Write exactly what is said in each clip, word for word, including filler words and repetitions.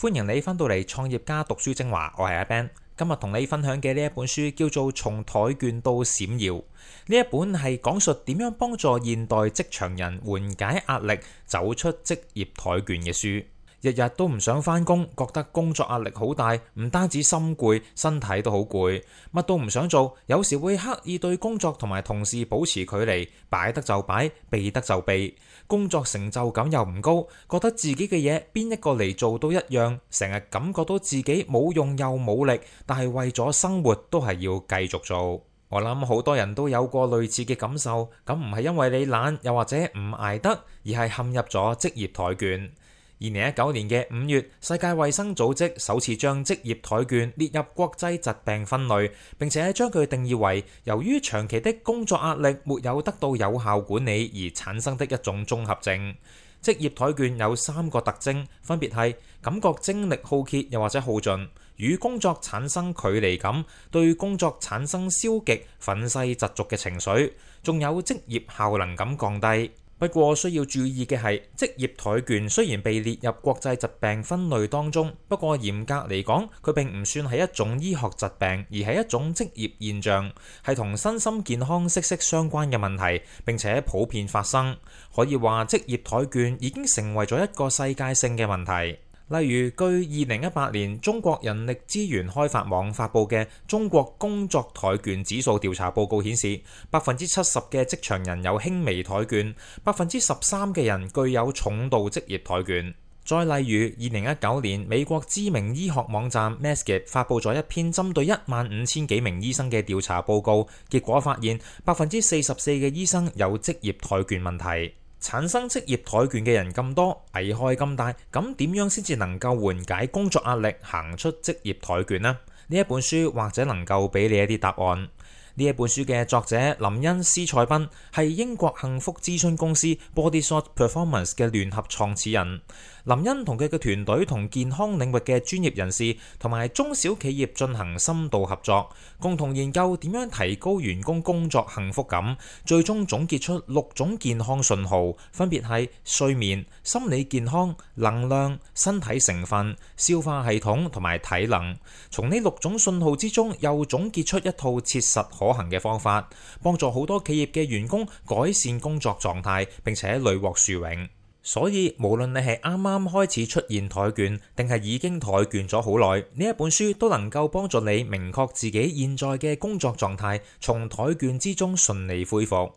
歡迎你翻到嚟創業家讀書精華，我係阿 Ben。今日同你分享嘅呢一本書叫做《從怠倦到閃耀》，呢一本係講述點樣幫助現代職場人緩解壓力、走出職業怠倦嘅書。日日都唔想返工，覺得工作壓力好大，唔單止心攰，身體都好攰，乜都唔想做，有時會刻意對工作同埋同事保持距離，擺得就擺，避得就避，工作成就感又唔高，覺得自己嘅嘢邊一個嚟做都一樣，成日感覺到自己冇用又冇力，但係為咗生活都係要繼續做。我諗好多人都有過類似嘅感受，咁唔係因為你懶，又或者唔捱得，而係陷入咗職業怠倦。二零一九年嘅五月，世界衛生組織首次將職業怠倦列入國際疾病分類，並且將佢定義為由於長期的工作壓力沒有得到有效管理而產生的一種綜合症。職業怠倦有三個特徵，分別係感覺精力耗竭又或者耗盡，與工作產生距離感，對工作產生消極、憤世嫉俗嘅情緒，仲有職業效能感降低。不過需要注意嘅係，職業怠倦雖然被列入國際疾病分類當中，不過嚴格嚟講，佢並唔算係一種醫學疾病，而係一種職業現象，係同身心健康息息相關嘅問題，並且普遍發生。可以話職業怠倦已經成為咗一個世界性嘅問題。例如，據二零一八年中國人力資源開發網發布嘅中國工作怠倦指數調查報告顯示，百分之七十嘅職場人有輕微怠倦，百分之十三嘅人具有重度職業怠倦。再例如，二零一九年美國知名醫學網站 Medscape 發布咗一篇針對一萬五千幾名醫生嘅調查報告，結果發現百分之四十四嘅醫生有職業怠倦問題。產生職業怠倦嘅人咁多，危害咁大，咁點樣先至能夠緩解工作壓力，行出職業怠倦呢？呢一本書或者能夠俾你一啲答案。呢一本書嘅作者林恩斯塞賓係英國幸福諮詢公司 Bodysort Performance 嘅聯合創始人。林恩同佢嘅團隊同健康領域嘅專業人士同埋中小企業進行深度合作，共同研究點樣提高員工工作幸福感，最終總結出六種健康信號，分別係睡眠、心理健康、能量、身體成分、消化系統同埋體能。從呢六種信號之中，又總結出一套切實可行嘅方法，幫助好多企業嘅員工改善工作狀態，並且屢獲殊榮。所以無論你係啱啱開始出現怠倦，定係已經怠倦咗好耐，呢一本書都能夠幫助你明確自己現在嘅工作狀態，從怠倦之中順利恢復。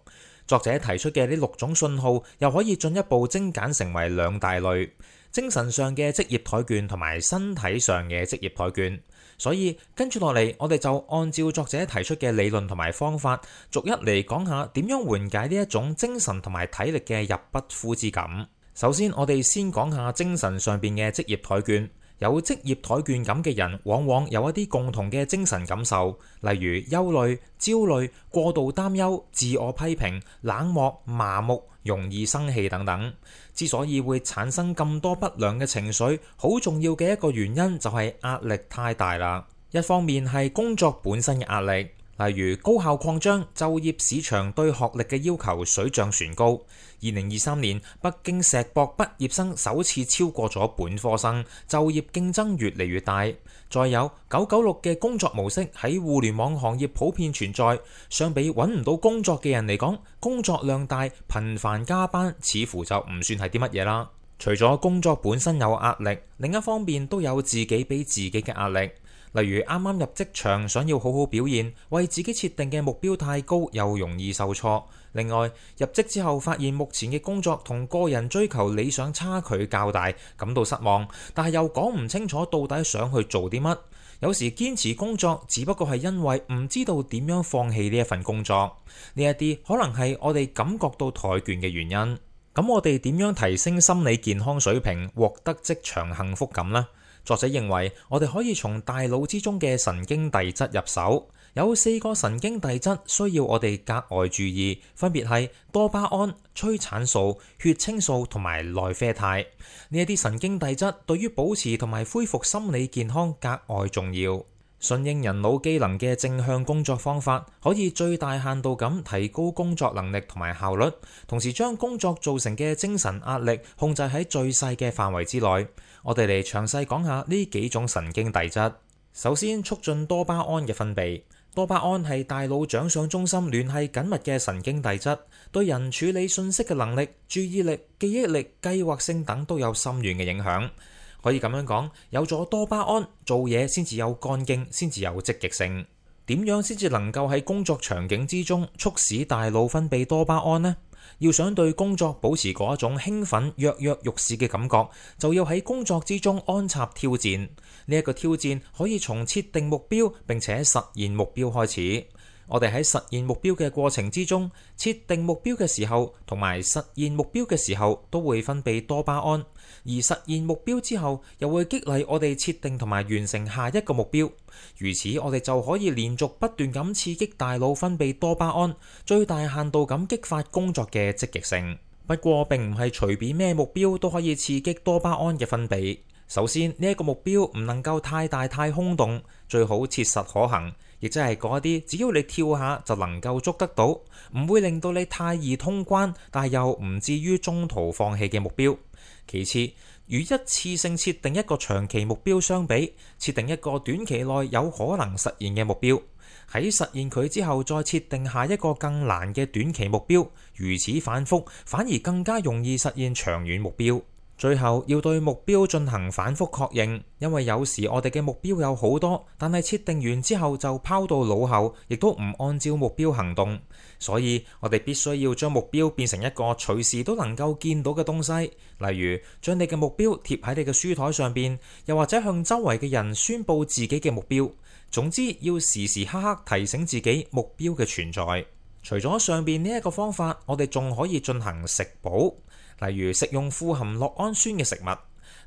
作者提出嘅呢六種信號，又可以進一步精簡成為兩大類：精神上嘅職業怠倦同埋身體上嘅職業怠倦。所以跟住落嚟，我哋就按照作者提出嘅理論同埋方法，逐一嚟講下點樣緩解呢一種精神同埋體力嘅入不敷之感。首先，我哋先講下精神上邊嘅職業怠倦。有職業怠倦感嘅人，往往有一啲共同嘅精神感受，例如憂慮、焦慮、過度擔憂、自我批評、冷漠、麻木、容易生氣等等。之所以會產生咁多不良嘅情緒，好重要嘅一個原因就係壓力太大啦。一方面係工作本身嘅壓力，例如高校擴張，就業市場對學歷嘅要求水漲船高。二零二三年，北京碩博畢業生首次超過咗本科生，就業競爭越嚟越大。再有九九六嘅工作模式喺互聯網行業普遍存在，相比揾唔到工作嘅人嚟講，工作量大、頻繁加班，似乎就唔算係啲乜嘢啦。除咗工作本身有壓力，另一方面都有自己俾自己嘅壓力。例如啱啱入職場，想要好好表現，為自己設定嘅目標太高，又容易受挫。另外，入職之後發現目前嘅工作同個人追求理想差距較大，感到失望，但係又講唔清楚到底想去做啲乜。有時堅持工作，只不過係因為唔知道點樣放棄呢一份工作。呢一啲可能係我哋感覺到怠倦嘅原因。咁我哋點樣提升心理健康水平，獲得職場幸福感呢？作者認為，我哋可以從大腦之中嘅神經遞質入手。有四個神經遞質需要我哋格外注意，分別係多巴胺、催產素、血清素同埋內啡肽。呢一啲神經遞質對於保持同埋恢復心理健康格外重要。順應人腦機能嘅正向工作方法，可以最大限度咁提高工作能力同埋效率，同時將工作造成嘅精神壓力控制喺最細嘅範圍之內。我哋嚟詳細講下呢幾種神經遞質。首先，促進多巴胺嘅分泌。多巴胺係大腦獎賞中心聯繫緊密嘅神經遞質，對人處理信息嘅能力、注意力、記憶力、計劃性等都有深遠嘅影響。可以咁樣講，有咗多巴胺，做嘢先至有幹勁，先至有積極性。點樣先至能夠喺工作場景之中促使大腦分泌多巴胺呢？要想對工作保持嗰一種興奮、躍躍欲試嘅感覺，就要喺工作之中安插挑戰。呢一個挑戰可以從設定目標並且實現目標開始。我哋喺實現目標嘅過程之中，設定目標嘅時候同埋實現目標嘅時候都會分泌多巴胺，而實現目標之後又會激勵我哋設定同埋完成下一個目標。如此，我哋就可以連續不斷咁刺激大腦分泌多巴胺，最大限度咁激發工作嘅積極性。不過並唔係隨便咩目標都可以刺激多巴胺嘅分泌。首先，呢一個目標唔能夠太大太空洞，最好切實可行，亦即係嗰啲只要你跳下就能夠捉得到，唔會令到你太易通關，但係又唔至於中途放棄嘅目標。其次，與一次性設定一個長期目標相比，設定一個短期內有可能實現嘅目標，喺實現佢之後再設定下一個更難嘅短期目標，如此反覆，反而更加容易實現長遠目標。最後要對目標進行反覆確認，因為有時我哋嘅目標有好多，但係設定完之後就拋到腦後，亦都唔按照目標行動。所以我哋必須要將目標變成一個隨時都能夠見到嘅東西，例如將你嘅目標貼喺你嘅書台上邊，又或者向周圍嘅人宣佈自己嘅目標。總之要時時刻刻提醒自己目標嘅存在。除咗上邊呢一個方法，我哋仲可以進行食補。例如食用富含酪氨酸嘅食物。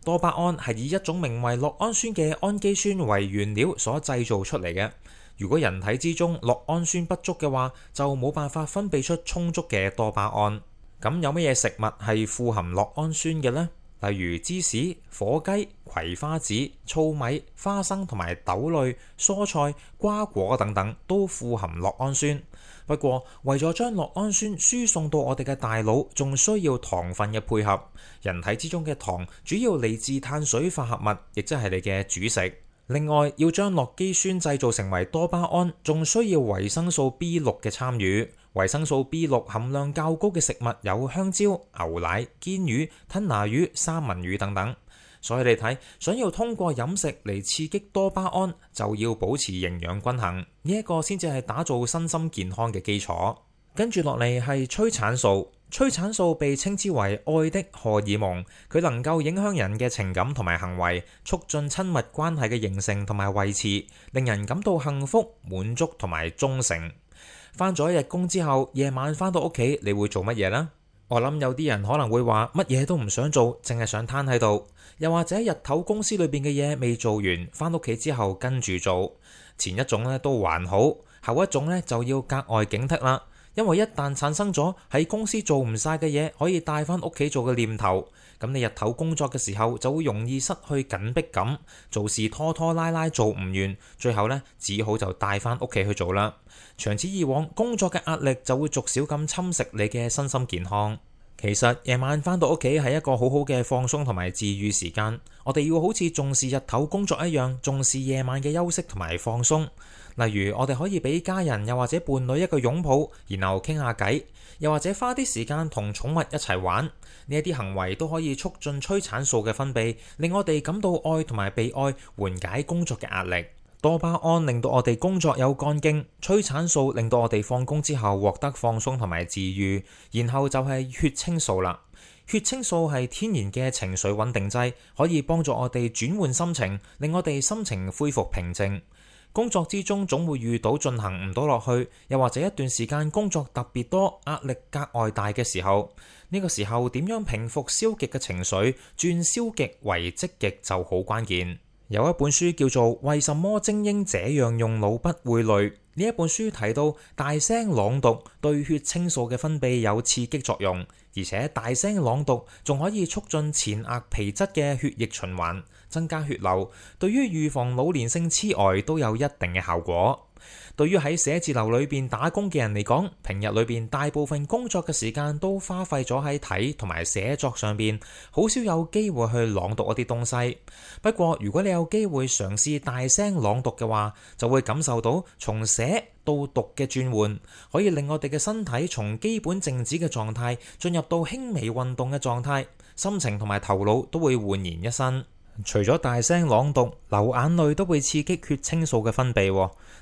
多巴胺係以一種名為酪氨酸嘅氨基酸為原料所製造出嚟嘅。如果人體之中酪氨酸不足嘅話，就冇辦法分泌出充足嘅多巴胺。咁有乜嘢食物係富含酪氨酸嘅呢？例如芝士、火雞、葵花籽、糙米、花生同埋豆類、蔬菜、瓜果等等都富含酪氨酸。不過為咗將酪氨酸輸送到我哋嘅大腦，仲需要糖分嘅配合。人體之中嘅糖主要嚟自碳水化合物，亦即係你嘅主食。另外，要將酪基酸製造成為多巴胺，仲需要維生素 B 六 嘅參與。維生素 B 六 含量較高嘅食物有香蕉、牛奶、堅魚、吞拿魚、三文魚等等。所以你睇，想要通過飲食嚟刺激多巴胺，就要保持營養均衡，呢一個先至係打造身心健康嘅基礎。跟住落嚟係催產素，催產素被稱之為愛的荷爾蒙，佢能夠影響人嘅情感同埋行為，促進親密關係嘅形成同埋維持，令人感到幸福、滿足同埋忠誠。返咗一日工之後，夜晚返到屋企，你會做乜嘢呢？我諗有啲人可能會話乜嘢都唔想做，淨係想攤喺度，又或者日頭公司裏邊嘅嘢未做完，返屋企之後跟住做。前一種咧都還好，後一種咧就要格外警惕啦，因為一旦產生咗喺公司做唔晒嘅嘢可以帶返屋企做嘅念頭，咁你日頭工作嘅時候就會容易失去緊迫感，做事拖拖拉拉做唔完，最後咧只好就帶返屋企去做啦。長此以往，工作嘅壓力就會逐少咁侵蝕你嘅身心健康。其實夜晚返到屋企係一個好好嘅放鬆同埋治癒時間，我哋要好似重視日頭工作一樣，重視夜晚嘅休息同埋放鬆。例如我哋可以俾家人又或者伴侶一個擁抱，然後傾下偈，又或者花啲時間同寵物一齊玩。呢一啲行為都可以促進催產素嘅分泌，令我哋感到愛同埋被愛，緩解工作嘅壓力。多巴胺令到我哋工作有幹勁，催產素令到我哋放工之後獲得放鬆同埋治癒，然後就係血清素啦。血清素係天然嘅情緒穩定劑，可以幫助我哋轉換心情，令我哋心情恢復平靜。工作之中總會遇到進行唔到落去，又或者一段時間工作特別多，壓力格外大嘅時候，呢個時候點樣平復消極嘅情緒，轉消極為積極就好關鍵。有一本書叫做《為什麼精英這樣用腦不會累》，呢一本書提到大聲朗讀對血清素嘅分泌有刺激作用，而且大聲朗讀仲可以促進前額皮質嘅血液循環，增加血流，對於預防老年性痴呆都有一定嘅效果。對於喺寫字樓裏邊打工嘅人嚟講，平日裏邊大部分工作嘅時間都花費咗喺睇同埋寫作上邊，好少有機會去朗讀一啲東西。不過如果你有機會嘗試大聲朗讀嘅話，就會感受到從寫到讀嘅轉換，可以令我哋嘅身體從基本靜止嘅狀態進入到輕微運動嘅狀態，心情同埋頭腦都會煥然一新。除咗大聲朗讀，流眼淚都會刺激血清素嘅分泌。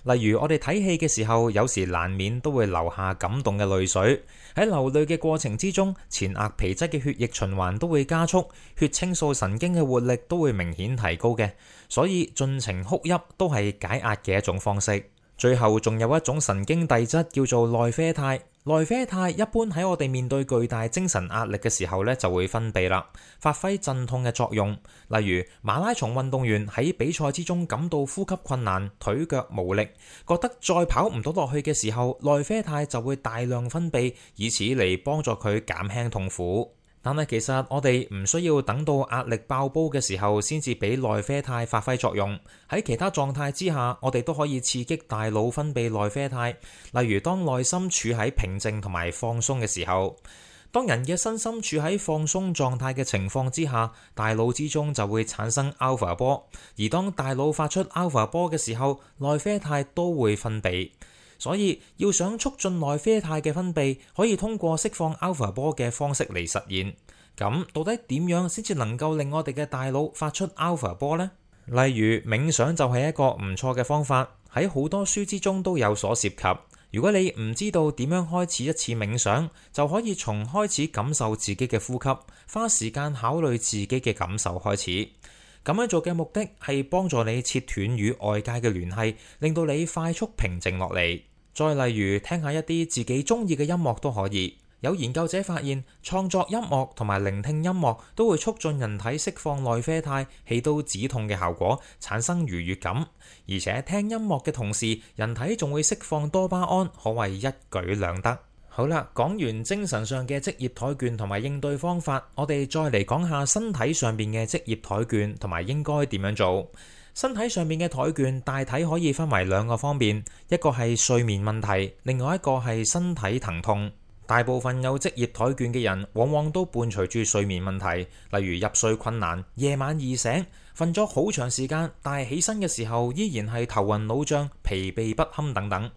例如我哋睇戲嘅時候，有時難免都會流下感動嘅淚水。喺流淚嘅過程之中，前額皮質嘅血液循環都會加速，血清素神經嘅活力都會明顯提高嘅。所以盡情哭泣都係解壓嘅一種方式。最後仲有一種神經遞質叫做內啡肽。內啡肽一般喺我哋面對巨大精神壓力嘅時候咧，就會分泌啦，發揮鎮痛嘅作用。例如馬拉松運動員喺比賽之中感到呼吸困難、腿腳無力，覺得再跑唔到落去嘅時候，內啡肽就會大量分泌，以此嚟幫助佢減輕痛苦。但係其實我哋唔需要等到壓力爆煲嘅時候先至俾內啡肽發揮作用。喺其他狀態之下，我哋都可以刺激大腦分泌內啡肽。例如當內心處喺平靜同埋放鬆嘅時候，當人嘅身心處喺放鬆狀態嘅情況之下，大腦之中就會產生 alpha 波。而當大腦發出 alpha 波嘅時候，內啡肽都會分泌。所以要想促進內啡肽嘅分泌，可以通過釋放 alpha 波嘅方式嚟實現。咁到底點樣先至能夠令我哋嘅大腦發出 alpha 波呢？例如冥想就係一個唔錯嘅方法，喺好多書之中都有所涉及。如果你唔知道點樣開始一次冥想，就可以從開始感受自己嘅呼吸，花時間考慮自己嘅感受開始。咁樣做嘅目的係幫助你切斷與外界嘅聯繫，令到你快速平靜落嚟。再例如聽下一啲自己中意嘅音樂都可以。有研究者發現，創作音樂同埋聆聽音樂都會促進人體釋放內啡肽，起到止痛嘅效果，產生愉悅感。而且聽音樂嘅同時，人體仲會釋放多巴胺，可謂一舉兩得。好啦，講完精神上嘅職業怠倦同埋應對方法，我哋再嚟講下身體上面嘅職業怠倦同埋應該點樣做。身體上面嘅怠倦大體可以分為兩個方面，一個係睡眠問題，另外一個係身體疼痛。大部分有職業怠倦嘅人，往往都伴隨住睡眠問題，例如入睡困難、夜晚易醒、瞓咗好長時間，但係起身嘅時候依然係頭暈腦脹、疲憊不堪等等。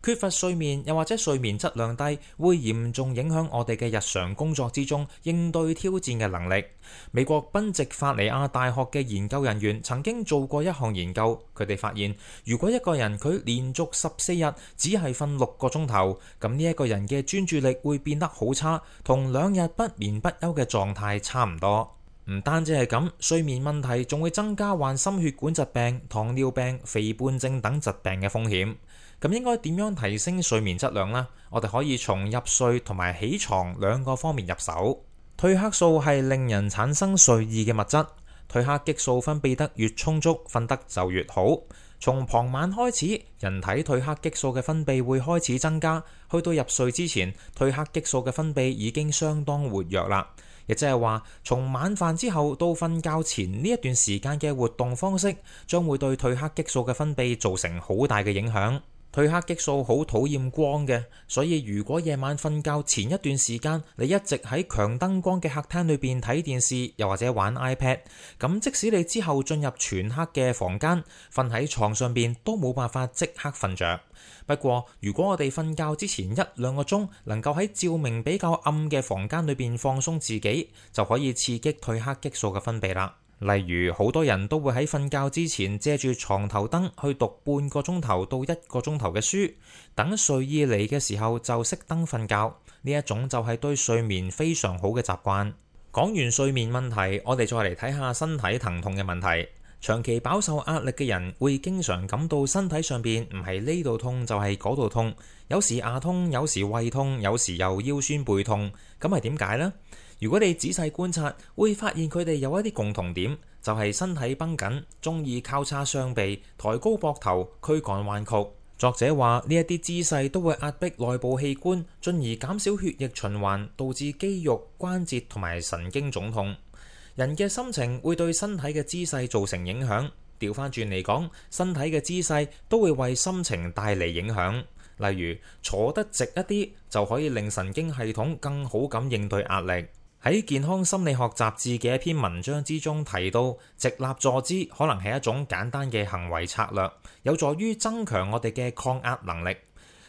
缺乏睡眠又或者睡眠質量低，會嚴重影響我哋嘅日常工作之中應對挑戰嘅能力。美國賓夕法尼亞大學嘅研究人員曾經做過一項研究，佢哋發現如果一個人佢連續十四日只係瞓六個鐘頭，咁呢一個人嘅專注力會變得好差，同兩日不眠不休嘅狀態差唔多。唔單止係咁，睡眠問題仲會增加患心血管疾病、糖尿病、肥胖症等疾病嘅風險。咁應該點樣提升睡眠質量呢？我哋可以從入睡同埋起床兩個方面入手。褪黑素係令人產生睡意嘅物質，褪黑激素分泌得越充足，瞓得就越好。從傍晚開始，人體褪黑激素嘅分泌會開始增加，去到入睡之前，褪黑激素嘅分泌已經相當活躍啦。亦即係話，從晚飯之後到瞓覺前呢一段時間嘅活動方式，將會對褪黑激素嘅分泌造成好大嘅影響。褪黑激素好討厭光嘅，所以如果夜晚瞓覺前一段時間，你一直喺強燈光嘅客廳裏邊睇電視，又或者玩 iPad， 咁即使你之後進入全黑嘅房間，瞓喺床上邊都冇辦法即刻瞓着。不過如果我哋瞓覺之前一兩個鐘，能夠喺照明比較暗嘅房間裏邊放鬆自己，就可以刺激褪黑激素嘅分泌啦。例如好多人都會喺瞓覺之前借住床頭燈去讀半個鐘頭到一個鐘頭嘅書，等睡意嚟嘅時候就熄燈瞓覺。呢一種就係對睡眠非常好嘅習慣。講完睡眠問題，我哋再嚟睇下身體疼痛嘅問題。長期飽受壓力嘅人會經常感到身體上邊唔係呢度痛就係嗰度痛，有時牙痛，有時胃痛，有時又腰酸背痛。咁係點解呢？如果你仔細觀察，會發現佢哋有一啲共同點，就係身體繃緊，中意交叉雙臂、抬高膊頭、軀幹彎曲。作者話呢一啲姿勢都會壓迫內部器官，進而減少血液循環，導致肌肉、關節同埋神經腫痛。人嘅心情會對身體嘅姿勢造成影響，調翻轉嚟講，身體嘅姿勢都會為心情帶嚟影響。例如坐得直一啲，就可以令神經系統更好咁應對壓力。喺健康心理學雜誌嘅一篇文章之中提到，直立坐姿可能係一種簡單嘅行為策略，有助於增強我哋嘅抗壓能力。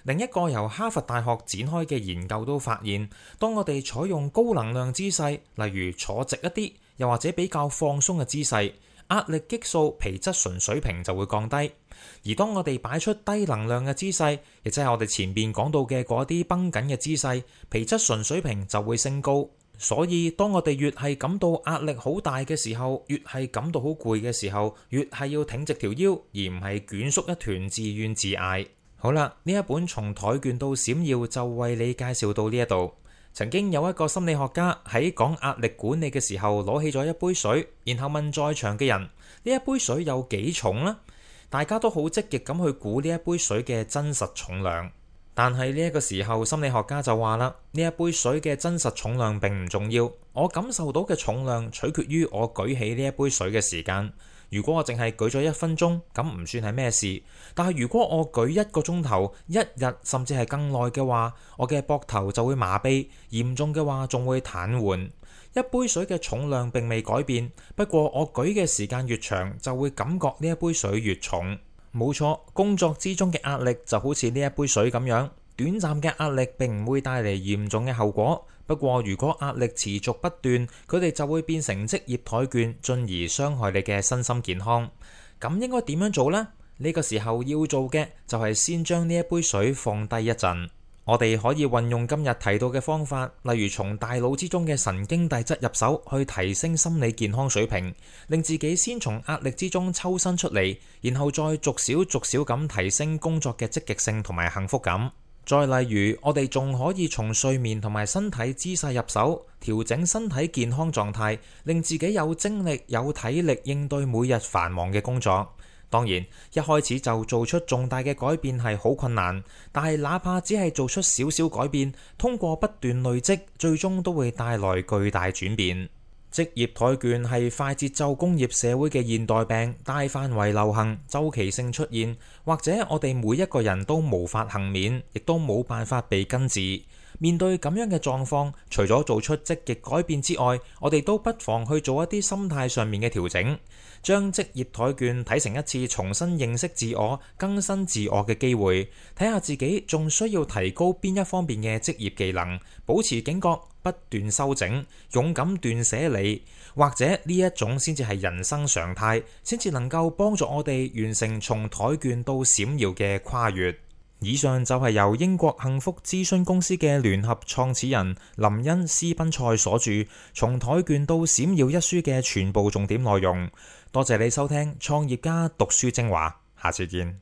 另一個由哈佛大學展開嘅研究都發現，當我哋採用高能量姿勢，例如坐直一啲，又或者比較放鬆嘅姿勢，壓力激素皮質醇水平就會降低。而當我哋擺出低能量嘅姿勢，亦即係我哋前面講到嘅嗰啲繃緊嘅姿勢，皮質醇水平就會升高。所以當我哋越係感到壓力好大嘅時候，越係感到好攰嘅時候，越係要挺直條腰，而唔係捲縮一團自怨自艾。好啦，呢一本從跆拳道閃耀就為你介紹到呢一度。曾經有一個心理學家喺講壓力管理嘅時候，攞起咗一杯水，然後問在場嘅人：呢一杯水有幾重呢？大家都好積極咁去估呢一杯水嘅真實重量。但係呢一個時候，心理學家就話啦：呢一杯水嘅真實重量並唔重要，我感受到嘅重量取決於我舉起呢一杯水嘅時間。如果我淨係舉咗一分鐘，咁唔算係咩事。但係如果我舉一個鐘頭、一日甚至係更耐嘅話，我嘅膊頭就會麻痹，嚴重嘅話仲會癱瘓。一杯水嘅重量並未改變，不過我舉嘅時間越長，就會感覺呢一杯水越重。冇錯，工作之中嘅壓力就好似呢一杯水咁樣，短暫嘅壓力並唔會帶嚟嚴重嘅後果。不過如果壓力持續不斷，佢哋就會變成職業怠倦，進而傷害你嘅身心健康。咁應該點樣做呢？呢個時候要做嘅就係先將呢一杯水放低一陣。我哋可以運用今日提到嘅方法，例如從大腦之中嘅神經遞質入手，去提升心理健康水平，令自己先從壓力之中抽身出嚟，然後再逐少逐少咁提升工作嘅積極性同埋幸福感。再例如，我哋仲可以從睡眠同埋身體姿勢入手，調整身體健康狀態，令自己有精力、有體力應對每日繁忙嘅工作。當然，一開始就做出重大嘅改變係好困難，但係哪怕只係做出少少改變，通過不斷累積，最終都會帶來巨大轉變。職業跆拳係快節奏工業社會嘅現代病，大範圍流行，週期性出現，或者我哋每一個人都無法幸免，亦都冇辦法被根治。面對咁樣嘅狀況，除咗做出積極改變之外，我哋都不妨去做一啲心態上面嘅調整，將職業跆拳睇成一次重新認識自我、更新自我嘅機會，睇下自己仲需要提高邊一方面嘅職業技能，保持警覺，不斷修整，勇敢斷捨離，或者呢一種先至係人生常態，先至能夠幫助我哋完成從跆拳到閃耀嘅跨越。以上就係由英國幸福諮詢公司嘅聯合創始人林恩斯賓塞所著《從跆拳到閃耀》一書嘅全部重點內容。多謝你收聽創業家讀書精華，下次見。